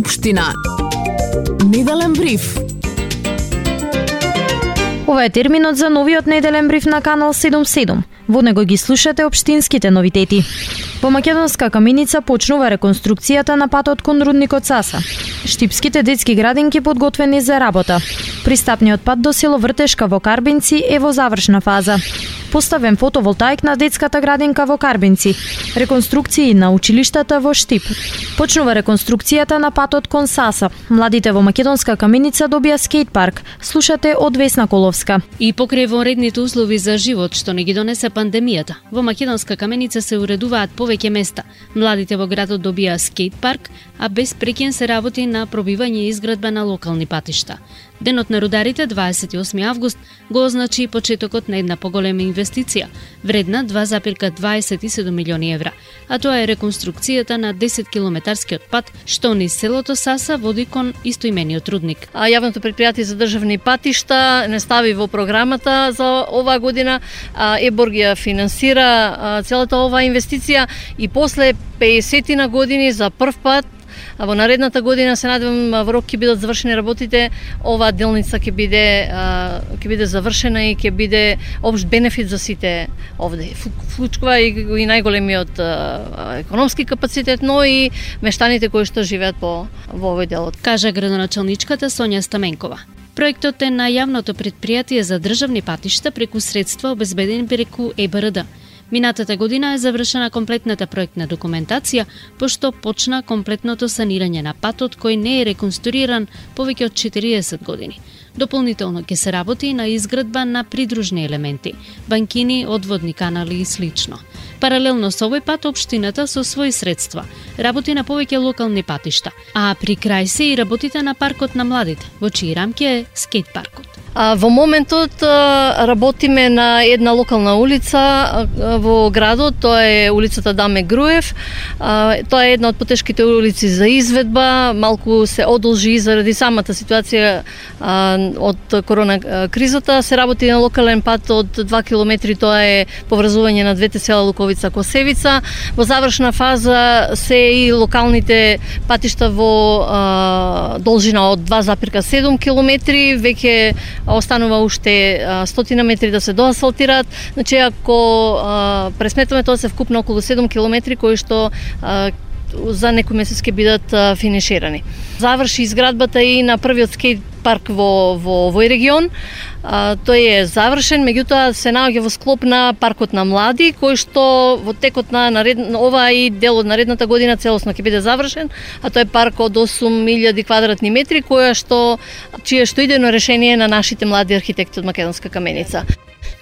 Општина. Неделен бриф. Ова е терминот за новиот неделен бриф на Канал 77. Во него ги слушате општинските новитети. Во Македонска каменица почнува реконструкцијата на патот кон рудникот Саса. Штипските детски градинки подготвени за работа. Пристапниот пат до село Вртешка во Карбинци е во завршна фаза. Поставен фотоволтаик на детската градинка во Карбинци. Реконструкции на училиштата во Штип. Почнува реконструкцијата на патот кон Саса. Младите во Македонска каменица добија скејт парк. Слушате од Весна Коловска. И покрај вонредните услови за живот што не ги донесе пандемијата, во Македонска каменица се уредуваат повеќе места. Младите во градот добија скејт парк, а без прекен се работи на пробивање и изградба на локални патишта. Денот на рударите, 28 август, го означи почетокот на една поголема инвестиција, вредна 2,27 милиони евра, а тоа е реконструкцијата на 10 километарскиот пат што низ селото Саса води кон истоимениот рудник. Јавното предпријатие за државни патишта не стави во програмата за оваа година, ЕБОР ги финансира целата оваа инвестиција и после 50 години за прв пат во наредната година се надевам во рок ќе бидат завршени работите, оваа делница ќе биде завршена и ќе биде општ бенефит за сите овде. Вклучува и најголемиот економски капацитет, но и мештаните кои што живеат во овој дел. Кажа градоначалничката Сонја Стаменкова. Проектот е на јавното предпријатие за државни патишта преку средства обезбедени преку ЕБРД. Минатата година е завршена комплетната проектна документација, пошто почна комплетното санирање на патот кој не е реконструиран повеќе од 40 години. Дополнително ќе се работи на изградба на придружни елементи, банкини, одводни канали и слично. Паралелно со овој пат, општината со своји средства работи на повеќе локални патишта, а при крај се и работите на паркот на младите, во чии рамки е скејт паркот. Во моментот работиме на една локална улица во градот, тоа е улицата Даме Груев. Тоа е една од потешките улици за изведба, малку се одолжи заради самата ситуација од корона кризата. Се работи на локален пат од 2 километри, тоа е поврзување на двете села Луковица Косевица. Во завршна фаза се и локалните патишта во должина од 2,7 километри, веќе останува уште 100 метри да се доасфалтираат. Значи, ако пресметаме, тоа се вкупно околу 7 километри кои што за некој месец ќе бидат финиширани. Заврши изградбата и на првиот скејт парк во овој регион. Тој е завршен, меѓутоа се наоѓа во склоп на паркот на млади, кој што во текот на ова и дел од наредната година целосно ќе биде завршен, а тој е парк од 8000 квадратни метри, чие што идејно решение на нашите млади архитекти од Македонска каменица.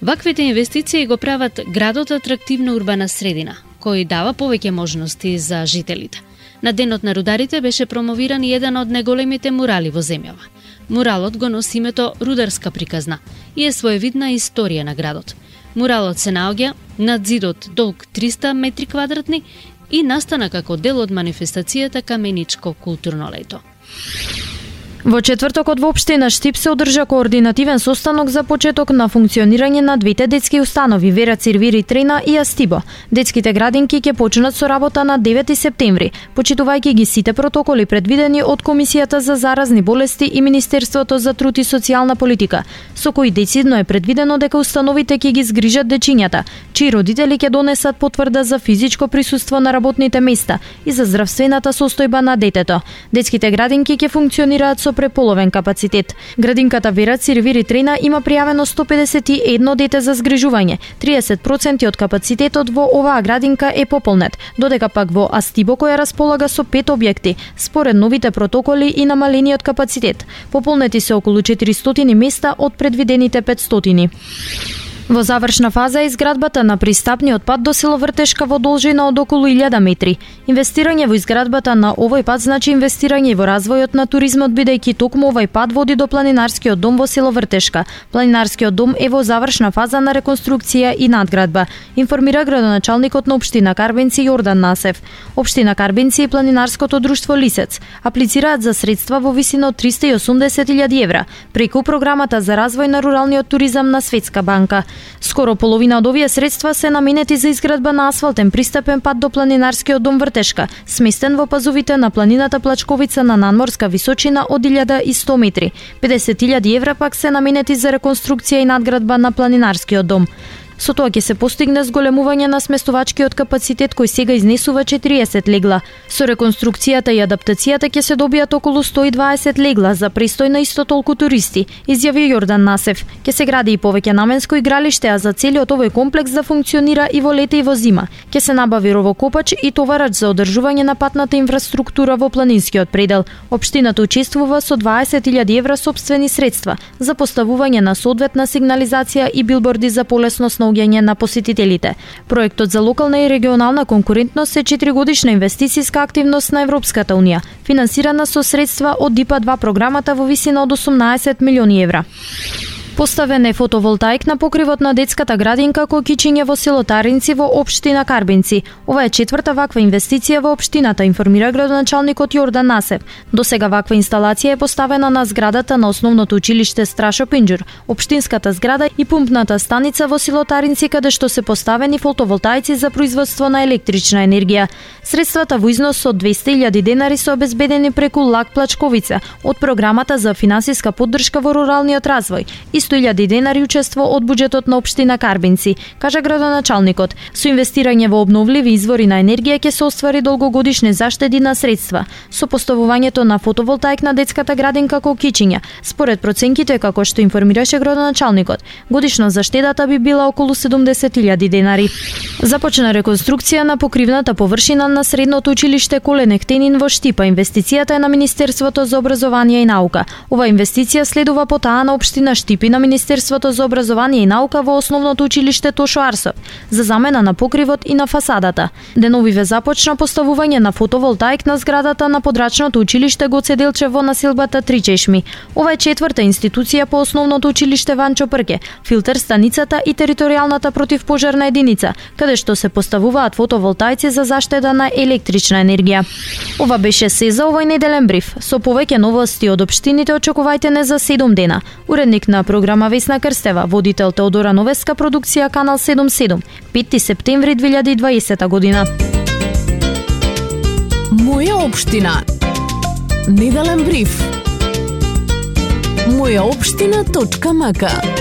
Ваквите инвестиции го прават градот атрактивна урбана средина, кој дава повеќе можности за жителите. На денот на рударите беше промовиран еден од најголемите мурали во земјава. Муралот го носи името Рударска приказна и е своевидна историја на градот. Муралот се наоѓа над зидот долг 300 метри квадратни и настана како дел од манифестацијата Каменичко културно лето. Во четвртокот во општина Штип се одржа координативен состанок за почеток на функционирање на двете детски установи Вера Цирвири Трена и Астибо. Детските градинки ќе почнат со работа на 9 септември, почитувајќи ги сите протоколи предвидени од Комисијата за заразни болести и Министерството за труд и социјална политика, со кои децидно е предвидено дека установите ќе ги згрижат дечињата, чии родители ќе донесат потврда за физичко присуство на работните места и за здравствената состојба на детето. Детските градинки ќе функционираат со преполовен капацитет. Градинката Вера Цирвири Трена има пријавено 151 дете за згрижување. 30% од капацитетот во оваа градинка е пополнет, додека пак во Астибо, која располага со 5 објекти, според новите протоколи и намалениот капацитет. Пополнети се околу 400 места од предвидените 500. Во завршна фаза е изградбата на пристапниот пат до село Вртешка во должина од околу 1000 метри. Инвестирање во изградбата на овој пат значи инвестирање во развојот на туризмот, бидејќи токму овој пат води до планинарскиот дом во село Вртешка. Планинарскиот дом е во завршна фаза на реконструкција и надградба, информира градоначалникот на општина Карбинци Јордан Насев. Општина Карбинци и планинарското друштво Лисец аплицираат за средства во висина од 380.000 евра преку програмата за развој на руралниот туризам на Светска банка. Скоро половина од овие средства се наменети за изградба на асфалтен пристапен пат до планинарскиот дом Вртешка, сместен во пазовите на планината Плачковица на надморска височина од 1100 метри. 50.000 евра пак се наменети за реконструкција и надградба на планинарскиот дом. Со тоа ќе се постигне зголемување на сместувачкиот капацитет кој сега изнесува 40 легла. Со реконструкцијата и адаптацијата ќе се добијат околу 120 легла за престој на исто толку туристи, изјави Јордан Насев. Ќе се гради и повеќе наменско игралиште, а за целиот овој комплекс да функционира и во лете и во зима. Ќе се набави ровокопач и товарач за одржување на патната инфраструктура во планинскиот предел. Општината учествува со 20.000 евра сопствени средства за поставување на соодветна сигнализација и билборди за полесност на на посетителите. Проектот за локална и регионална конкурентност е 4-годишна инвестицијска активност на Европската унија, финансирана со средства од ДИПА-2 програмата во висина од 18 милиони евра. Поставен е фотоволтаик на покривот на детската градинка Кокичиње во село Таринци во општина Карбинци. Ова е четврта ваква инвестиција во општината, информира градоначалникот Јордан Насев. Досега ваква инсталација е поставена на зградата на основното училиште Страшо Пинџур, општинската зграда и пумпната станица во село Таринци, каде што се поставени фотоволтаици за производство на електрична енергија. Средствата во износ од 200.000 денари се обезбедени преку ЛАК Плачковица од програмата за финансиска поддршка во руралниот развој. 100.000 денари учество од буџетот на општина Карбинци, кажа градоначалникот. Со инвестирање во обновливи извори на енергија ќе се оствари долгогодишни заштеди на средства. Со поставувањето на фотоволтаик на детската градинка Кокичиња, според проценките како што информираше градоначалникот, годишно заштедата би била околу 70.000 денари. Започна реконструкција на покривната површина на средното училиште Колен Ектенин во Штипа. Инвестицијата е на Министерството за образование и наука. Ова инвестиција следува по таа на општина Штип и на Министерството за образование и наука во основното училиште Тошо Арсов за замена на покривот и на фасадата. Деновиве започна поставување на фотоволтаик на зградата на подрачното училиште Гоце Делчев во населбата Тричешми. Ова е четврта институција по основното училиште Ванчо Прке, филтер станицата и територијалната противпожарна единица, каде што се поставуваат фотоволтаици за заштеда на електрична енергија. Ова беше се за овој неделен бриф. Со повеќе новости од општините очекувајте не за 7 дена. Уредник на програма Весна Крстева, водител Теодора Новеска, продукција Канал 77, 5 септември 2020 година. Моја општина. Неделен бриф. Мојаопштина.мк